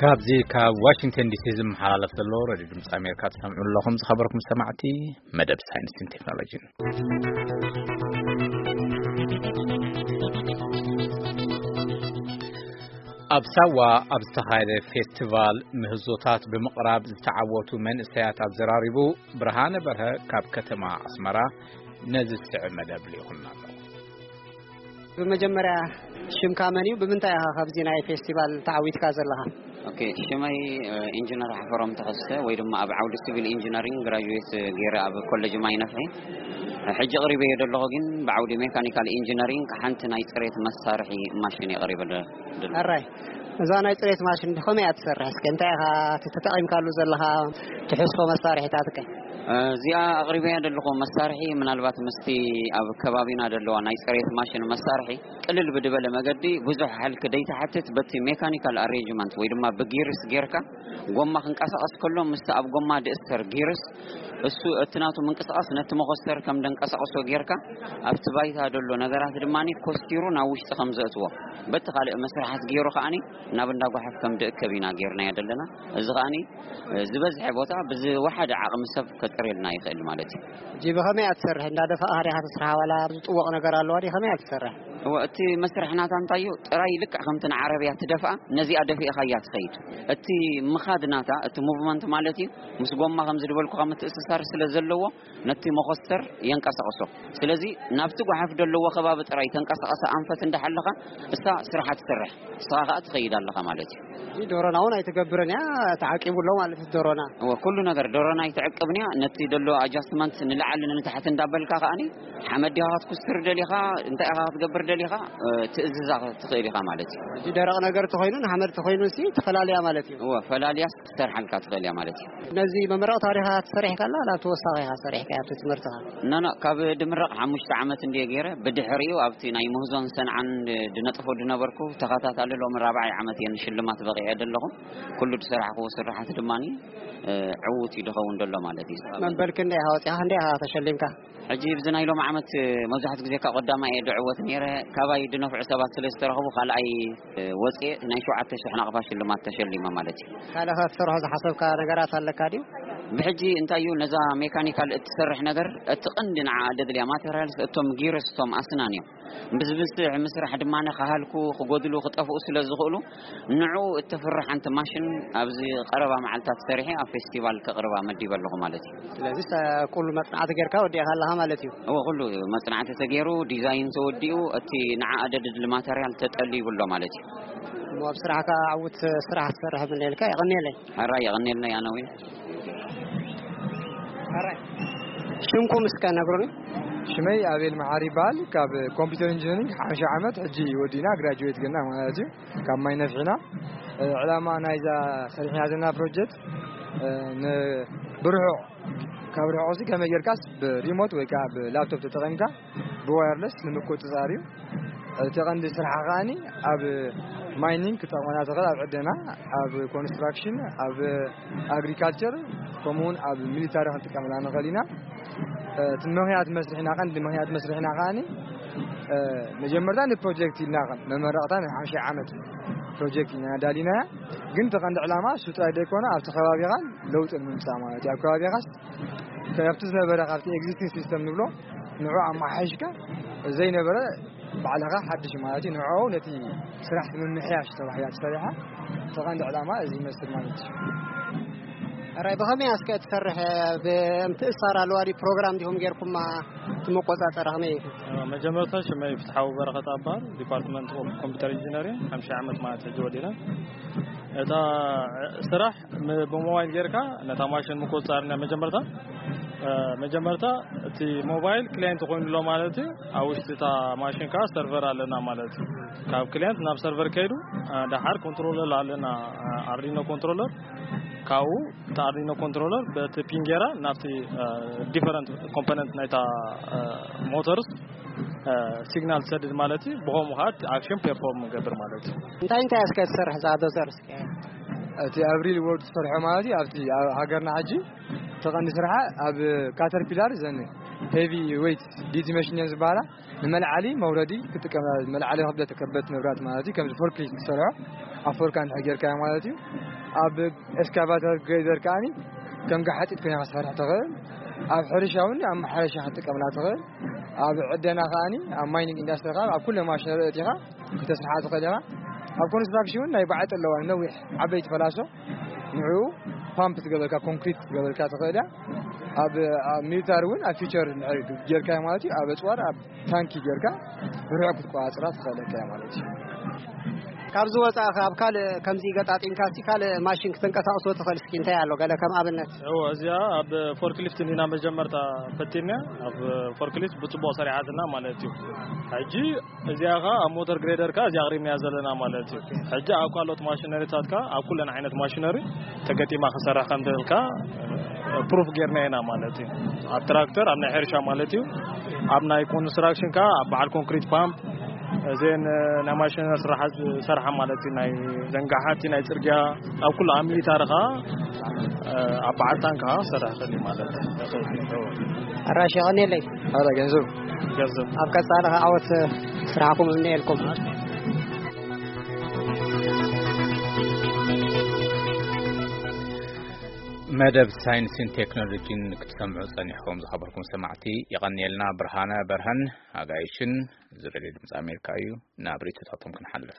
ካብዚ ካብ ዋሽንግተን ዲሲ ዝመሓላለፍ ዘሎ ሬድዮ ድምፂ ኣሜሪካ ትሰምዑ ኣለኹም። ዝኸበርኩም ሰማዕቲ፣ መደብ ሳይንስን ቴክኖሎጂን። ኣብ ሳዋ ኣብ ዝተኻየደ ፌስቲቫል ምህዞታት ብምቕራብ ዝተዓወቱ መንእሰያት ኣዘራሪቡ ብርሃነ በርሀ ካብ ከተማ ኣስመራ ነዚ ዝስዕብ መደብ ልኢኹልና ኣሎ። ብመጀመርያ ሽምካ መን እዩ? ብምንታይ ኢኻ ካብዚ ናይ ፌስቲቫል ተዓዊትካ ዘለኻ? ኦኬ፣ ሽመይ፣ እ፣ ኢንጂነር ሓፈሮም ተኸስተ ወይ ድማ ኣብ ዓውዲ ሲቪል ኢንጂነሪንግ ግራጁዌት ገይረ ኣብ ኮሌጅ ማይ ነፍሒ። ሕጂ ቅሪበዮ ዘለኹ ግን ብዓውዲ ሜካኒካል ኢንጂነሪንግ ሓንቲ ናይ ጽሬት መሳርሒ ማሽን እየ ቀሪበ ደ-፣ ደሎ። ኣራይ፣ እዛ ናይ ጽሬት ማሽን ከመይ እያ ትሰርሕ? እስከ እንታይ ኢኻ ተጠቒምካሉ ዘለኻ ትሕዝቶ መሳርሒታትከ? እዚኣ ኣቕሪበያ ዘለኹ መሳርሒ ምናልባት ምስቲ ኣብ ከባቢና ዘለዋ ናይ ጽሬት ማሽን መሳርሒ ቅልል ብድበለ መገዲ ብዙሕ ሃልኪ ደይትሓትት በቲ ሜካኒካል ኣሬንጅመንት ወይ ድማ ብጊርስ ጌርካ ጎማ ክንቀሳቐስ ከሎ ምስቲ ኣብ ጎማ ድእሰር ጊርስ እሱ እቲ ናቱ ምንቅስቓስ ነቲ መኾስተር ከም ደንቀሳቕሶ ጌርካ ኣብቲ ባይታ ዘሎ ነገራት ድማ ኮስቲሩ ናብ ውሽጢ ከም ዘእትዎ በቲ ካልእ መስርሓት ገይሩ ከኣኒ ናብ እንዳ ጓሓፍ ከም ድእከብ ኢና ጌርናዮ ዘለና። እዚ ከኣኒ ዝበዝሐ ቦታ ብዝወሓደ ዓቕሚ ሰብ ከጽርየልና ይኽእል ማለት እዩ። ሕጂ ብኸመይ እያ ትሰርሕ? እንዳደፋእኻ ዲኻ ትስርሓ ዋላ ዝጥወቕ ነገር ኣለዋ ድዩ? ከመይ እያ ትሰርሕ? እወ፣ እቲ መስርሕ ናታ እንታይ እዩ? ጥራይ ልክዕ ከምቲ ንዓረብያ ትደፍኣ፣ ነዚኣ ደፊእኻ እያ ትኸይድ። እቲ ምኻድ ናታ፣ እቲ ሙቭመንት ማለት እዩ፣ ምስ ጎማ ከም ዝድበልኩኻ ምትእስሳር ስለ ዘለዎ፣ ነቲ መኾስተር የንቀሳቕሶ። ስለዚ ናብቲ ጓሓፍ ዘለዎ ከባቢ ጥራይ ተንቀሳቐሰ ኣንፈት እንዳሓለኻ፣ እሳ ስርሓ ትሰርሕ፣ ንስኻ ከኣ ትኸይድ ኣለኻ ማለት እዩ። እዚ ዶሮና እውን ኣይትገብርን እያ፣ ተዓቂቡ ኣሎ ማለት እዩ ዶሮና። እወ፣ ኩሉ ነገር ዶሮና ኣይትዕቅብን እያ። ነቲ ደሎ ኣጃስትመንት ንላዕሊ ንታሕቲ እንዳበልካ ከኣኒ ሓመድ ዲኻ ክትኩስትር ደሊኻ፣ እንታይ ኢኻ ክትገብር ደሊኻ፣ እ፣ ትእዝዛ ትኽእል ኢኻ ማለት እዩ። እዚ ደረቕ ነገር ተኾይኑ ንሓመድ ተኾይኑ ሲ ተፈላልያ ማለት እዩ። እወ፣ ፈላልያ ክትሰርሓልካ ትኽእል እያ ማለት እዩ። ነዚ መመረቕ ታሪኻ ትሰርሕ ከላ ናብ ተወሳኺ ኢኻ ሰሪሕካ ኣብቲ ትምህርትኻ? ኖ፣ ኖ፣ ካብ ድምረቕ ሓሙሽተ ዓመት እንድየ ገይረ። ብድሕሪኡ ኣብቲ ናይ ምህዞን ሰንዓን ድ-፣ ድነጥፎ ድነበርኩ ተኸታታሊ ሎሚ ራብዓይ ዓመት እየ ንሽልማት በቒዐ ዘለኹ። ኩሉ ዝሰራሕክዎ ስራሓት ድማኒ፣ እ፣ ዕዉት እዩ ድኸውን ዘሎ ማለት እዩ። መንበልኪ እንደ ኢኻ ወፂኻ እንደ ኢኻ ተሸሊምካ? ሕጂ ብዚ ናይ ሎሚ ዓመት መብዛሕትኡ ግዜ ካብ ቀዳማይ እየ ድዕወት ነይረ። ካባይ ድነፍዑ ሰባት ስለ ዝተረኽቡ ካልኣይ ወፅየ ናይ ሸውዓተ ሽሕ ናቕፋ ሽልማት ተሸሊመ ማለት እዩ። ካልእ ከ ክትሰርሖ ዝሓሰብካ ነገራት ኣለካ ድዩ? ብሕጂ እንታይ እዩ ነዛ ሜካኒካል እትሰርሕ ነገር እቲ ቀንዲ ንዓ ደድልያ ማቴሪያልስ እቶም ጊርስ እቶም ኣስናን እዮም። ብዝብዝሕ ምስራሕ ድማ ክሃልኩ ክጎድሉ ክጠፍኡ ስለ ዝኽእሉ ንዑ እተፍርሕ ሓንቲ ማሽን ኣብዚ ቀረባ መዓልታት ሰሪሐ ኣብ ፌስቲቫል ከቕርባ መዲበ ኣለኹ ማለት እዩ። ስለዚ ኩሉ መጽናዕቲ ጌርካ ወዲእካ ኣለኻ ማለት እዩ። እወ፣ ኩሉ መጽናዕቲ ተገይሩ፣ ዲዛይን ተወዲኡ፣ እቲ ንዓ ኣደድሊ ማተርያል ተጠልዩ ይብሎ ማለት እዩ። እሞ ኣብ ስራሕካ ዕዉት ስራሕ ትሰርሕ ምንኤልካ የቐንየለይ። ሕራይ የቐንየልና ያነዊ። ሕራይ። ሽምኩም እስከ ነግሩኒ። ሽመይ ኣቤል መሓሪ ይበሃል። ካብ ኮምፒውተር ኢንጂነሪንግ ሓምሳ ዓመት ሕጂ ወዲና ግራጁዌት ገና ማለት እዩ። ካብ ማይ ነፍሒና፣ እ፣ ዕላማ ናይዛ ሰሪሕና ዘለና ፕሮጀክት፣ እ፣ ን-፣ ብርሑቕ፣ ካብ ርሑቕ ሲ ከመይ ጌርካስ ብሪሞት ወይ ከኣ ብላፕቶፕ ተጠቒምካ ብዋየርለስ ንምቁጽጻር እዩ። እቲ ቀንዲ ስራሓ ከኣኒ ኣብ ማይኒንግ ክጠቕመና ትኽእል፣ ኣብ ዕደና፣ ኣብ ኮንስትራክሽን፣ ኣብ ኣግሪካልቸር፣ ከምኡውን ኣብ ሚሊታሪ ክንጥቀመላ ንኽእል ኢና። እ፣ እቲ ምኽንያት መስርሕና፣ ቀንዲ ምኽንያት መስርሕና ከኣኒ፣ እ፣ መጀመርታ ንፕሮጀክት ኢልና ከም መመረቕታ ናይ ሓምሳ ዓመት ፕሮጀክት ኢና ዳሊናያ። ግን እቲ ቀንዲ ዕላማ እሱ ጥራይ ዘይኮነ ኣብቲ ከባቢኻን ለውጢ ንምምጻእ ማለት እዩ። ኣብ ከባቢኻስ ካብቲ ዝነበረ ካብቲ ኤግዚስቲንግ ሲስተም ንብሎ ንዑ ኣመሓይሽካ ዘይነበረ ባዕልኻ ሓድሽ ማለት እዩ። ንዑ ነቲ ስራሕ ምምሕያሽ ተባሂላ ተሰሪሓ። እቲ ቀንዲ ዕላማ እዚ ይመስል ማለት እዩ። ሕራይ ብኸመይ እስከ ትሰርሕ? ብምትእሳር ኣለዋ ድዩ? ፕሮግራም ዲኹም ጌርኩማ? እቲ መቆጻጸሪ ከመይ እዩ? መጀመርታ ሽመይ ፍትሓዊ በረኸት ኣባል ዲፓርትመንት ኦፍ ኮምፒውተር ኢንጂነሪንግ ሓምሳ ዓመት ማለት ሕጂ ወዲና። እታ ስራሕ ም-፣ ብሞባይል ጌርካ ነታ ማሽን ምቁጽጻር ኢና መጀመርታ። እ፣ መጀመርታ እቲ ሞባይል ክላየንት ኮይኑ ኣሎ ማለት እዩ። ኣብ ውሽጢ እታ ማሽን ከኣ ሰርቨር ኣለና ማለት እዩ። ካብ ክላየንት ናብ ሰርቨር ከይዱ፣ እ፣ ደሓር ኮንትሮለር ኣለና፣ እ፣ ኣርዲኖ ኮንትሮለር። ካብኡ እቲ ኣርዲኖ ኮንትሮለር በቲ ፒን ጌራ ናብቲ፣ እ፣ ዲፈረንት ኮምፖነንት ናይታ፣ እ፣ ሞተርስ፣ እ፣ ሲግናል ትሰድድ ማለት እዩ። ብኸምኡ ከኣ እቲ ኣክሽን ፐርፎርም ንገብር ማለት እዩ። እንታይ እንታይ እስከ ትሰርሕ እዛ ዶዘር እስከ? እቲ ኣብ ሪል ወርልድ ትሰርሖ ማለት እዩ። ኣብቲ ኣብ ሃገርና ሕጂ ተቐንዲ ስርሓ ኣብ ካተርፒላር ዘን ሄቪ ዌይት ዲቲ መሽን እየን ዝበሃላ። ንመልዓሊ መውረዲ ክጥቀም፣ መልዓሊ ክብደት ከበድቲ ንብራት ማለት እዩ። ከምዚ ፎርክሊፍት ዝሰርሖ ኣፈርካ እንድሕር ጌርካዮ ማለት እዩ። ኣብ ኤክስካቫተር ግሬደር ከኣኒ ከም ገሓጢት ኮይና ክትሰርሕ ትኽእል። ኣብ ሕርሻ እውን ኣብ ማሕረሻ ክትጥቀምላ ትኽእል። ኣብ ዕደና ከኣኒ ኣብ ማይኒንግ ኢንዳስትሪ ከኣ ኣብ ኩለ ማሽነሪ እቲኻ ክተስርሓ ትኽእል ኢኻ። ኣብ ኮንስትራክሽን እውን ናይ ባዕጢ ኣለዋ፣ ነዊሕ ዓበይቲ ፈላሶ፣ ንዕኡ ፓምፕ ትገበልካ፣ ኮንክሪት ትገበልካ ትኽእል እያ። ኣብ ኣብ ሚሊታሪ እውን ኣብ ፊቸር እንድሕር ጌርካዮ ማለት እዩ። ኣብ ኣፅዋር ኣብ ታንኪ ጌርካ ብርሑቕ ክትቆፃፀራ ትኽእለካ እያ ማለት እዩ። ካብዚ ወፃእ ከ ኣብ ካልእ ከምዚ ገጣጢምካ እስቲ ካልእ ማሽን ክትንቀሳቕሶ ትኽእል እስኪ እንታይ ኣሎ ገለ ከም ኣብነት? እዎ፣ እዚኣ ኣብ ፎርክሊፍት ኢና መጀመርታ ፈቲንያ። ኣብ ፎርክሊፍት ብፅቡቕ ሰሪሓትና ማለት እዩ። ሕጂ እዚኣ ኸ ኣብ ሞተር ግሬደር ከ እዚኣ ኣቕሪብናያ ዘለና ማለት እዩ። ሕጂ ኣብ ካልኦት ማሽነሪታት ከ ኣብ ኩለን ዓይነት ማሽነሪ ተገጢማ ክሰርሕ ከም ትኽእል ከ ፕሩፍ ጌርና ኢና ማለት እዩ። ኣብ ትራክተር፣ ኣብ ናይ ሕርሻ ማለት እዩ። ኣብ ናይ ኮንስትራክሽን ከ ኣብ በዓል ኮንክሪት ፓምፕ እዘን ናይ ማሽነሪ ስራሓት ዝሰርሓ ማለት እዩ። ናይ ዘንጋሓቲ፣ ናይ ፅርግያ፣ ኣብ ኩሉ ኣብ ሚሊታሪ ከ ኣብ በዓል ታንክ ከ ክሰርሕ ይኽእል እዩ ማለት እዩ። ኣራሽ የቐንየለይ። ሓደ ገንዘብ ገንዘብ ኣብ ቀጻሊ ከ ዓወት ስራሕኩም እምነየልኩም። መደብ ሳይንስን ቴክኖሎጂን ክትሰምዑ ጸኒሕኩም ዝኸበርኩም ሰማዕቲ፣ የቐንየልና። ብርሃነ በርሀን ኣጋይሽን፣ እዚ ሬድዮ ድምፂ ኣሜሪካ እዩ። ናብ ርእይቶታቶም ክንሓልፍ።